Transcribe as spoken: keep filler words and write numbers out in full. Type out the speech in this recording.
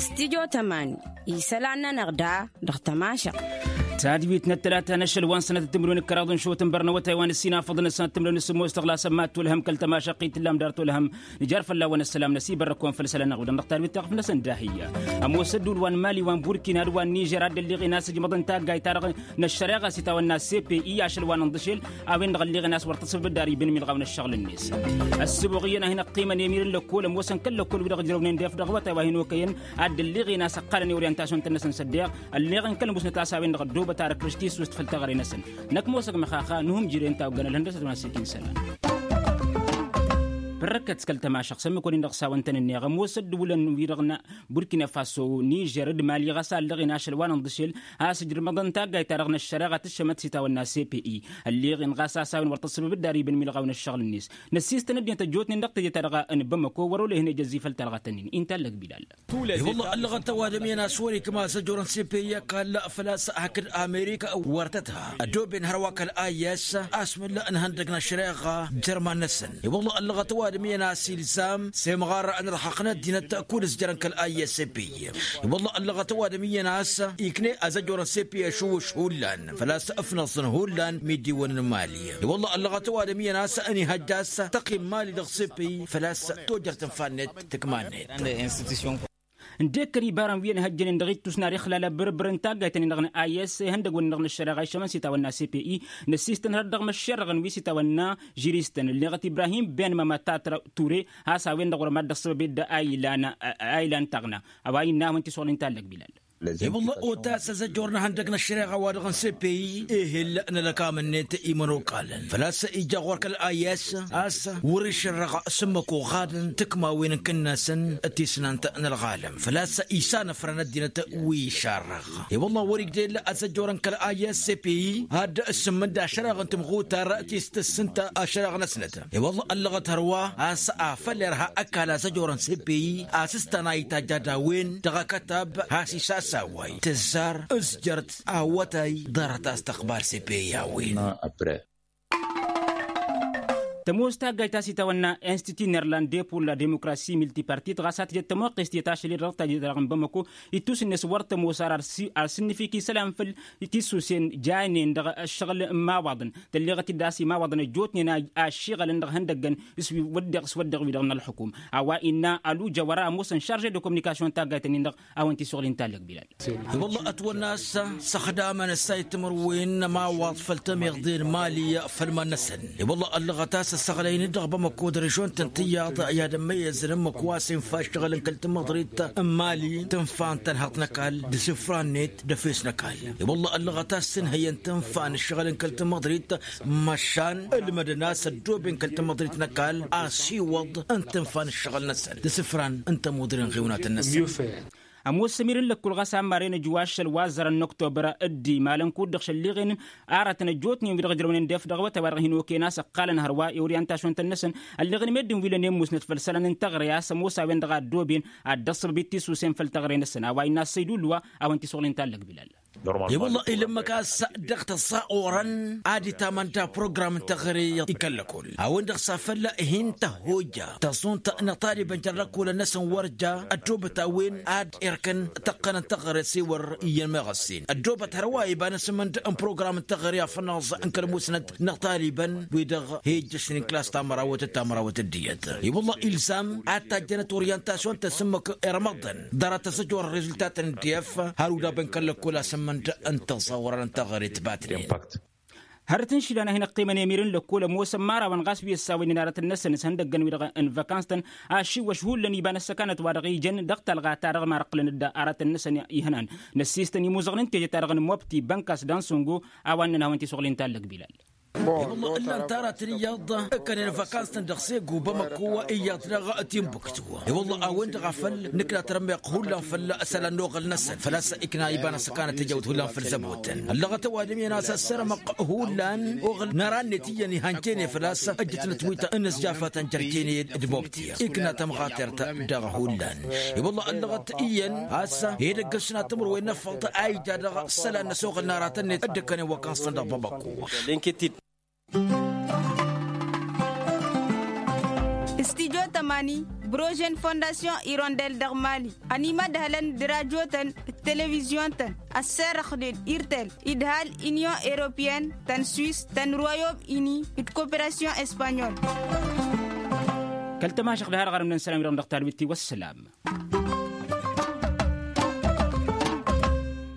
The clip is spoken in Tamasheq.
Stidyo tămani isălan-nănăɣ da dăɣ-tămašăɣt. Tadwit n-ăttălata n-ašăl wa n-sănătăt timǝrwen n-kăraḍ n-išwăt n-bărnăwătay wa n-ǝssin afăḍăn ăssanăt timǝrwen n-sǝmmos tăɣla sămmat tolhăm kăl-tămašăɣt i-tǝllam dar tolhăm. Nǝjar fălla-wăn ăssălam năsibărrăk-wăn făll-isălan-năɣ wi-dăɣ n-dăɣ-tadwit taɣǝf-năsăn d-ahǝyya. Ămoos ădduul wa n-mali wa n-burkina d-wa n-nižer ad-dd-ălliɣen a-s ǝjmăḍăn taggayt-ta-dăɣ n-ăššăreɣa s-itawănna cpi ašăl wa n-ǝnḍǝšel a-wen-dăɣ ălliɣen a-s wăr tăṣǝbdar iba n-imilɣaw n-ăššăɣǝl-net. Ăssǝboɣ iyyăn a hin-ăqqimăn i-emir n-lăkkol ămoosăn kăl-lăkkol wi-dăɣ ǝjrăwnen d-efdăɣ awătay wa hin-okăyăn ad-dd-ălliɣen a-s ăqqalăn i-oryantasyon-tăn-năsăn s-ăddeɣ ălleɣ n-kăl-musnăt a-s a-wen-dăɣ ăddoobăt ad-ăkrǝš tissust făll-teɣăre-năsăn. Năkk ămoosăg măxaxa nuhǝmjǝre n-tawăggan ălhăndăsăt wa n-asǝlkin isălan. Părrăkăt s-kăl-tămašăɣt s-ămmǝk-wăren dăɣ-s a-wăn-tăn-ǝnneɣ ămoos ăddǝwǝlăn wi-dăɣ n-burkina faso nižer d-mali ɣas a ăllăɣen ašăl wa n-inḍǝšel a-s ǝjrǝmăḍăn taggayt-ta-dăɣ n-ăššăreɣa tǝššămăt s-itawănna cpi. Ălleɣen ɣas a-s a-wen wăr tăṣṣăbăb dd-ar iba n-imilɣaw n-ăššăɣǝl-net. Năssistăn ăddinăt ăjjootnen dăɣ-teje-ta-dăɣ n-bamăko wăr-olăyhăn ejăzzi făll-talɣa-tăn-in inta ăllăg bilal. I-wălla ăllăɣăt ăwadǝm iyyăn a-s wăr-ikma zăjorăn cpi ăkall făl-a-s hakd amerika wăr tăt-ha ăddooben hărwa kăl-ayyes a-s mǝlla ǝnhăndăg n-ăššăreɣa. Jărman-năsăn i-wălla ăllăɣăt ăwadǝm iyyăn a-s ilzam s-emɣar n-ărhăq n-ăddinăt kud-ǝzjărăn kăl-ayyes cpi. I-wălla ăllăɣăt ăwadǝm iyyăn a-s ikne azăjorăn cpi ašuwǝš hullan făl-a-s ǝfnăẓ n-hullan midiwăn n-mali. I-wălla ăllăɣăt ăwadǝm iyyăn a-s ănihăjj a-s tăqqim mali dăɣ-cpi făl-a-s tojăr tǝnfa-net tǝkma-net. Ǝndekkăn ibarăn wi ănhăjjănen dăɣ-ittus n-ad-ixlal abǝrbǝr n-taggayt-nin-dăɣ n-a s ihăndăgg-wăn-dăɣ n-ăššăreɣa iššămăn s-itawănna cpi. Năssistăn hărăt dăɣ-măššerrăɣăn wi s-itawănna žiristăn ǝlleɣăt ibrahim ben mămăta ture. Has-a-wen-dăɣ wăr mad-dd-ăṣṣăbăb edda a ilan taɣna a-wa innă a-wen t-isuɣǝl inta ăllăg bilal. I-wălla otas azăjor n-ehăndăg n-ăššăreɣa wa dăɣ-n cpi ehel n-ălăkam-net imănokalăn făl-a-s ija ɣur-kăl-a i-a-s a-s wăr-išărrăɣ s-ǝmmǝk oɣadăn tǝkmawen n-kǝnnasăn tisnant n-ălɣalăm făl-a-s isanăfrăn ăddinăt wi išarrăɣ. I-wălla wăr-igdel azăjor n-kăl-a i-a-s cpi ad-dd-sǝmmǝnd ašăreɣ n-tǝmɣutar ti s-tǝssǝnta ašăreɣ-năsnăt. I-wălla ăllăɣăt hărwa a-s afăl irha ăkall azăjor n-cpi a-s s-tăn-a itajj ad-a-wen dăɣ-akătab has isasaway tǝzzar ǝzjărt awătay ḍarăt astăqbal cpi a-wen. Tămoos taggayt ta s-itawănna institut nerlande pour la demokrasi miltipartit ɣas a tǝjăt tămoqqest i-tašăl i-dăɣ tajjăt dăɣ-n bamăko ittus-net wăr tămoos ar ar sǝnnǝfik isălan făll-tisusen janen dăɣ-ăššăɣǝl n-imawaḍăn tălleɣăt-dd a-s imawaḍăn ăjjootnen a ăššiɣălăn dăɣ-ihăndăggăn s-wăddeɣ s-wăddeɣ wi-dăɣ n-ălxukum. A-wa innă ăluja wăr-a ămoosăn šarže d-kominikasyon taggayt-nin-dăɣ a-wen t-isuɣǝl inta ăllăg bilal. I-wălla ătwănna a-s săxdamăn ăssay timǝrwen n-ămawaḍ făll-tămiḍe n-mali făll-iman-năsăn. I-wălla ăllăɣăt a-s ăssăɣlăynen dăɣ-bamăko d-režon-tăn tiyyăḍ i-ad-ămmăyyăzăn ǝmmǝk wa s-infa ǝššăɣǝl n-kăl-tamăḍrit n-mali tǝnfa n-tănhăḍt n-ăkall d-isǝfra-net d-efes n-ăkall. I-wălla ăllăɣăt a-s ǝnhăyăn tǝnfa n-ǝššăɣǝl n-kăl-tamăḍrit măšan ǝlmădăn a-s ăddooben kăl-tamăḍrit n-ăkall asiwăḍ n-tǝnfa n-ǝššăɣǝl-năsăn d-isǝfran n-tămuḍri n-iɣiwnatăn-năsăn. Ămoos ămir n-lăkkul ɣas a ămmaren ăjwa ašăl wa ăzzărăn n-oktobăr dd-imalăn kud-dăɣ šălliɣen aratăn ăjjootnen wi-dăɣ ǝjrăwnen d-efdăɣ awătay wa dăɣ-hin-okăyăn a-s ǝqqalăn hărwa i-oryantasyon-tăn-năsăn. Ălleɣ n-meddǝn wi lănen musnăt făll-isălan n-teɣre a-s ămoos a-wen-dăɣ a ăddooben ad-dd-ăṣṣăbăb i-tisusen făll-teɣre-năsăn a-wa innă ăssăydullu wa a-wăn t-isuɣǝl inta ăllăg bilal. I-wălla ilǝmmăk a-s dăɣ-tăẓẓa orăn ad-itamănda program n-teɣăre i-kăl-lăkol a-wen-dăɣ s-afăl hin-tăhhojja tăẓunt n-iṭalibăn jer-lăkolăn-năsăn wăr ja ăddobăt a-wen ad-irkăn tăqqăn n-teɣăre s-e-wăr iyyăn meɣăssen ăddobăt hărwa iba n-asǝmǝnd n-program n-teɣăre afănaẓ n-kăl-musnăt n-iṭalibăn wi-dăɣ he-ijjăšnen klas tamărawăt d-tamărawăt d-iyyăt. I-wălla ilzam ad-tajjănăt oryantasyon-tăn s-ǝmmǝk irmăḍăn ḍarăt ăẓăjor rezultatăn n-diyăf har udabăn kăl-lăkkol asǝmmǝnd n-tăẓẓa orăn n-teɣăre tǝbatnen. Hărăt n-išilan a hin-ăqqimăn i-emir n-lăkkol ămoosăn imărawăn ɣas wi ăssawăynen aratăn-năsăn s-ihăndăggăn wi-dăɣ n-vakans-tăn ašǝwwăš hullan iba n-ăssăkanăt wa dăɣ-ijăn dăɣ-talɣa-ta-dăɣ ma răqqǝlăn-dd aratăn-năsăn ihănan. Năssiistăn imuzăɣăn n-teje-ta-dăɣ n-mobti bănkas d-ansăngo a-wa ǝnnăn a hawăn-t-isuɣǝl inta ăllăg bilal. I-wălla ǝllan-t aratăn iyyăḍ ǝkkănen vakans-tăn dăɣ-segu bamăko iyyăḍ daɣ timbuktu. I-wălla a-wen-dăɣ a făl nǝkna tărmeɣ hullan făll-isălan n-oɣăl-năsăn făl-a-s ikna iba n-ăssăkanăt tejawt hullan făll-zăbotăn ăllăɣăt ăwadǝm iyyăn a-s ăssărămăɣ hullan oɣăl n-ara-net iyyăn ihănjene făl-a-s ăjjătnăt wi tăn-ăsjafatăn jer-jene d-mobti ikna tămɣatert dăɣ-hullan. I-wălla ăllăɣăt iyyăn a-s edăgg ǝsna timǝrwen n-afăḍ a ija dăɣ-isălan-năs oɣăl n-aratăn-net dd-ǝkkănen wăkănṣăn dăɣ-bamăko. Studyo tămani, brožen fondasyon irondel dăɣ-mali, ănimădhălăn d-rajotăn d-televizyon-tăn, ăsserăxnen irtel, idhal, inyon europeyăn, tăn-swis, tăn-royom ini d-koperasyon espanyol. Kăl-tămašăɣ d-harăɣ arǝmnăn sălam-i-dăɣ dăɣ-talwit-i wăssălam.